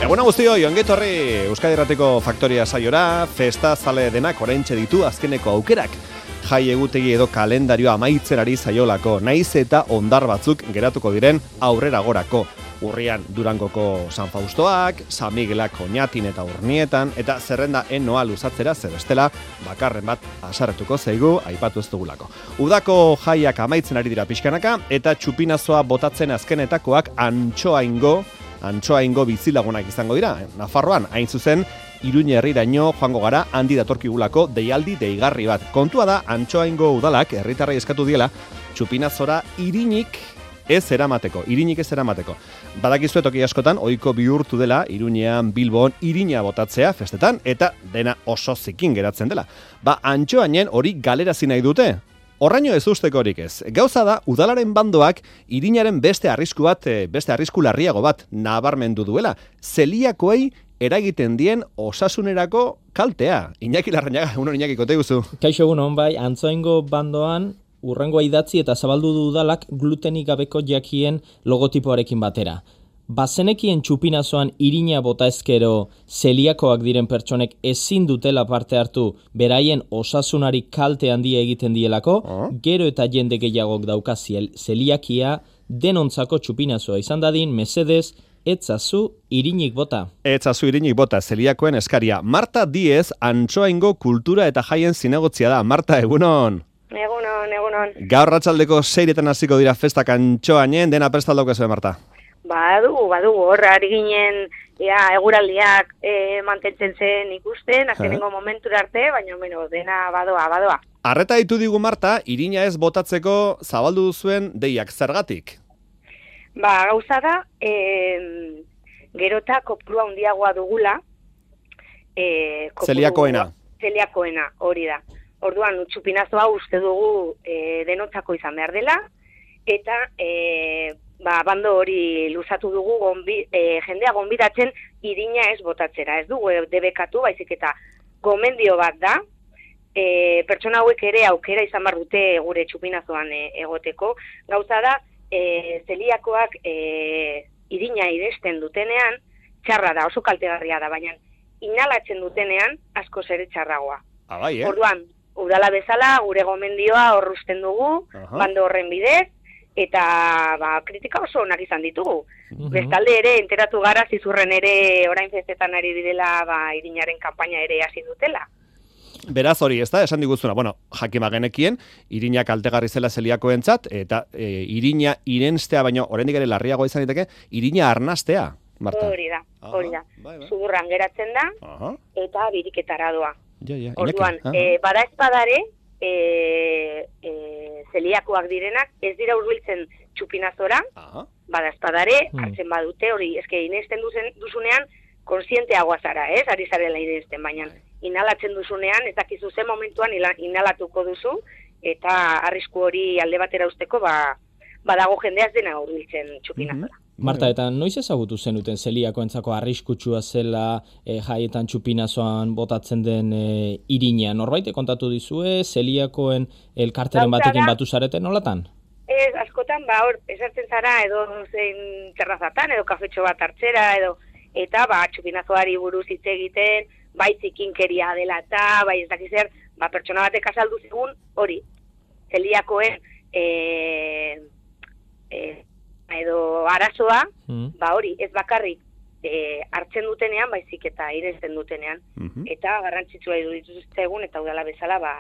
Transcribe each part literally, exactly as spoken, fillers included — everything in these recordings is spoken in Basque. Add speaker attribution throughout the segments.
Speaker 1: Egun guztioi, ongetorri Euskadi Irratiko Faktoria saiora, festa zale denak oraintxe ditu azkeneko aukerak. Jai egutegi edo kalendarioa amaitzen ari zaiolako, naiz eta ondar batzuk geratuko diren aurrera gorako. Urrian Durangoko San Faustoak, San Miguelak Oñatin eta Urnietan, eta zerrenda enoa luzatzera zer bestela bakarren bat asarretuko zaigu aipatu ez dugulako. Udako jaiak amaitzen ari dira pixkanaka, eta txupinazoa botatzen azkenetakoak antxoaingo, antxoaingo bizilagunak izango dira. Nafarroan, hain zuzen, Iruña herriraino joango gara handi datorkigulako deialdi deigarri bat. Kontua da, antxoaingo udalak herritarrei eskatu diela txupinazora irinik ez eramateko, irinik ez eramateko. Badakizu toki askotan, ohiko bihurtu dela, Iruñean, Bilbon, irina botatzea festetan, eta dena oso zikin geratzen dela. Ba, antxoainen hori galerazi nahi dute. Horraino ez usteko horik ez. Gauza da, udalaren bandoak irinaren beste arrisku bat, beste arrisku larriago bat nabarmendu duela. Zeliakoei eragiten dien osasunerako kaltea. Iñaki Larrañaga, egunon Iñaki, kote guzu.
Speaker 2: Kaixo egunon, bai, antzoaingo bandoan urrengoa idatzi eta zabaldu du udalak glutenik gabeko jakien logotipoarekin batera. Bazenekien txupinazoan irina bota ezkero zeliakoak diren pertsonek ezin dutela parte hartu beraien osasunari kalte handia egiten dielako, oh. Gero eta jende gehiagok dauka zeliakia denontzako txupinazoa izan dadin, mesedez, etzazu irinik bota.
Speaker 1: Etzazu irinik bota, zeliakoen eskaria. Marta Diez, antxoaingo kultura eta jaien zinegotzia da. Marta, egunon.
Speaker 3: Egunon, egunon.
Speaker 1: Gaur ratxaldeko seiretan hasiko dira festak antxoainen, dena prestaldauka zuen, Marta?
Speaker 3: Badugu, badugu, horra ari ginen, ja, eguraldiak e, mantentzen zen ikusten, azkenengo momentura arte, baina bueno, dena badoa, badoa.
Speaker 1: Arreta ditu digu, Marta, irina ez botatzeko zabaldu duzuen deiak zergatik?
Speaker 3: Ba, gauza da, e, gerota kopurua handiagoa dugula. E, kopuru,
Speaker 1: Zeliakoena.
Speaker 3: Zeliakoena, hori da. Orduan, txupinazoa uste dugu e, denotzako izan behar dela, eta e, ba, bando hori luzatu dugu gonbi, e, jendea gonbidatzen irina ez botatzera. Ez dugu debekatu, baizik eta gomendio bat da, e, pertsona hauek ere aukera izan behar dute gure txupinazoan e, egoteko. Gauza da, e, zeliakoak e, irina iresten dutenean, txarra da, oso kaltegarria da, baina inhalatzen dutenean asko ere txarragoa.
Speaker 1: Ah, bai, eh?
Speaker 3: Orduan, udala bezala, gure gomendioa horrusten dugu, uh-huh. Bando horren bidez, eta ba, kritika oso onak izan ditugu. Uh-huh. Bestalde ere, enteratu gara, zizurren ere orain festetan ari direla, ba, irinaren kanpaina ere hasi dutela.
Speaker 1: Beraz hori, ez da, esan diguzuna, bueno, jakima genekien, irina kaltegarri zela zeliakoentzat, eta e, irina irenstea, baino, oraindik ere larriago izan diteke, irina arnastea, Marta.
Speaker 3: Hori da, hori da. Zudurran geratzen da, uh-huh. Eta biriketara doa.
Speaker 1: Ja, ja,
Speaker 3: orduan, e, bada espadare, e, e, zeliakoak direnak, ez dira hurbiltzen txupinazora, uh-huh. Bada espadare, hmm. hartzen badute, hori, eske inesten duzen, duzunean, konsienteagoa zara, ez, ari zarela inesten, baina inhalatzen duzunean, ez dakizu zen momentuan inhalatuko duzu, eta arrisku hori alde batera usteko, ba, badago jendeaz dena hurbiltzen txupinazora. Mm-hmm.
Speaker 2: Marta, eta noiz ezagutu zenuten zeliakoentzako arriskutsua zela e, jaietan txupinazoan botatzen den e, irina? Norbait kontatu dizue, zeliakoen elkarteren batekin batu zareten, nolatan?
Speaker 3: Ez, askotan, ba, hor, esartzen zara, edo zein terrazatan, edo kafetxo bat hartzera, edo, eta, ba, txupinazoari buruz hitz egiten, bai zikinkeria dela eta, bai ez dakizer, ba, pertsona batek azaldu zigun, hori, zeliakoen, e, e, edo arazoa, mm. Ba hori, ez bakarrik e, hartzen dutenean, baizik eta iresten dutenean, mm-hmm. Eta garrantzitsua iruditu egun eta udala bezala, ba,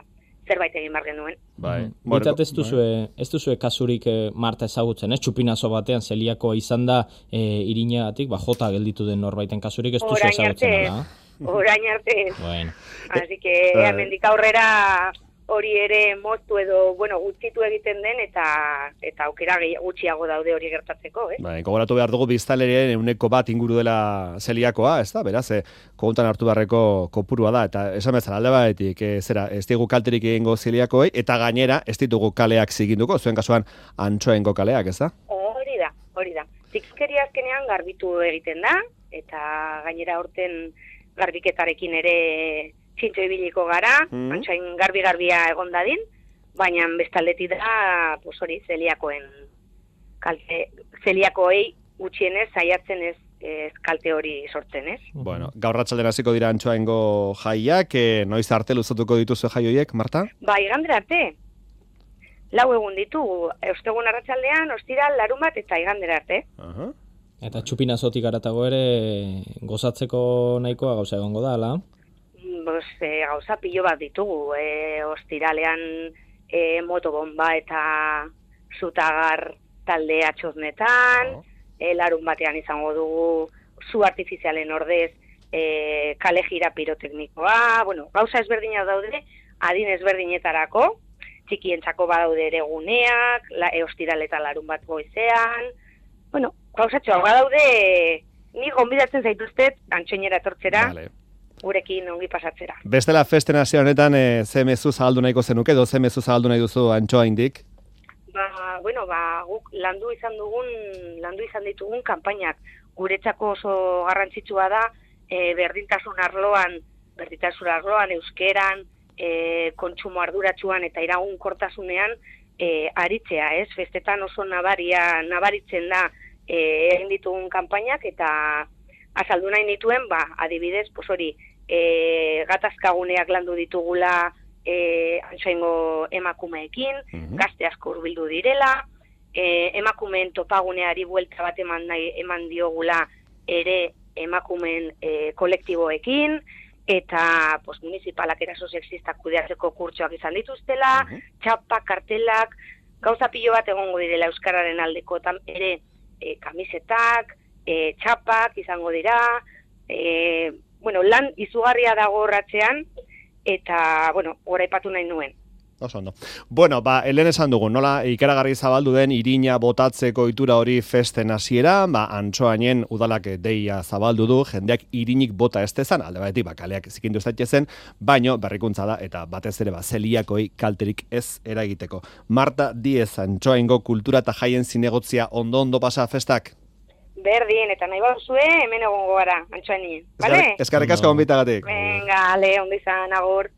Speaker 3: zerbait egin bar genuen.
Speaker 2: Bai. Bitat ez duzue, ez duzue kasurik e, Marta ezagutzen, ez? Txupinazo batean zeliakoa izan da e, irinagatik, ba, jota gelditu den norbaiten kasurik ez duzue ezagutzen.
Speaker 3: Orain arte.
Speaker 2: Bueno.
Speaker 3: Así que, hemendik aurrera hori ere moztu edo, bueno, gutxitu egiten den, eta eta aukera gutxiago daude hori gertatzeko, eh?
Speaker 1: Bai, gogoratu behar dugu biztanlerien ehuneko bat inguru dela zeliakoa, ez da? Beraz, eh, kontan hartu beharreko kopurua da, eta esan bezala alde batetik, eh, zera, ez ditugu kalterik egingo zeliakoei, eta gainera, ez ditugu kaleak ziginduko, zuen kasuan antxoaingo kaleak, ez da?
Speaker 3: Hori da, hori da. Zikikeria azkenean garbitu egiten da, eta gainera horten garbiketarekin ere txintxo ibiliko gara, mm. Antxoain garbi-garbia egon dadin, baina bestaldetik da, pues hori, zeliakoen kalte, zeliakoei gutxienez saiatzen ez ez kalte hori sortzen, ez?
Speaker 1: Bueno, gaur arratsaldean hasiko dira antxoaingo jaiak, e, noiz arte luzatuko dituzu jai horiek, Marta?
Speaker 3: Ba, igandera arte. Lau egun ditugu, ostegun arratsaldean, ostiral, larumat eta igandera arte.
Speaker 1: Aha.
Speaker 2: Eta txupinazotik aratago ere gozatzeko nahikoa gauza egongo da, ala?
Speaker 3: Bos, e, gauza pilo bat ditugu, e, ostiralean e, motobomba eta zutagar talde atxoznetan,
Speaker 1: Oh.
Speaker 3: e, larun batean izango dugu zu artifizialen ordez e, kale jira piroteknikoa, bueno, gauza ezberdinak daude, adin ezberdinetarako, txikientzako badaude ere guneak, la, e, ostiral eta larun bat goizean, bueno, gauzatxoa badaude, ni gonbidatzen zaituztet antxoinera etortzera,
Speaker 1: Vale.
Speaker 3: gurekin ongi pasatzera.
Speaker 1: Bestela festen hasi honetan e, ze mezu zabaldu nahiko zenuke, edo ze mezu zabaldu nahi duzu antxoaindik?
Speaker 3: Ba, bueno, ba, guk landu izan dugun, landu izan ditugun kanpainak. Guretzako oso garrantzitsua da, e, berdintasun arloan, berdintasun arloan, euskeran, e, kontsumo arduratsuan eta iraunkortasunean e, aritzea, ez? Festetan oso nabaria, nabaritzen da e, egin ditugun kanpainak eta azaldu nahi nituen, ba, adibidez, pues hori, e, gatazkaguneak landu ditugula e, antxoaingo emakumeekin,
Speaker 1: Mhm.
Speaker 3: gazte asko hurbildu direla, e, emakumeen topaguneari buelta bat eman, nahi, eman diogula ere emakumeen e, kolektiboekin, eta pues, municipalak eraso sexistak kudeatzeko kurtsoak izan dituztela,
Speaker 1: Mhm.
Speaker 3: txapak, kartelak, gauza pilo bat egongo direla euskararen aldeko tam, ere e, kamisetak, e, txapak izango dira, e, bueno, lan izugarria dago horratzean, eta, bueno, goraipatu nahi nuen.
Speaker 1: Oso ondo. Bueno, ba, helen esan dugu, nola ikaragarri zabaldu den irina botatzeko ohitura hori festen hasiera, ba, antxoainen udalak deia zabaldu du, jendeak irinik bota ez dezan, alde batetik, ba, kaleak zikindu ez zen, baino berrikuntza da, eta batez ere, ba, zeliakoi kalterik ez eragiteko. Marta Diez, antxoaingo kultura eta jaien zinegotzia ondo-ondo pasa festak?
Speaker 3: Berdin, eta nahi baduzue, hemen egongo gara, antxoainien. Bale?
Speaker 1: Eskarrik asko
Speaker 2: Ondo.
Speaker 1: gonbitagatik.
Speaker 3: Venga, ale, ondo izan, agur.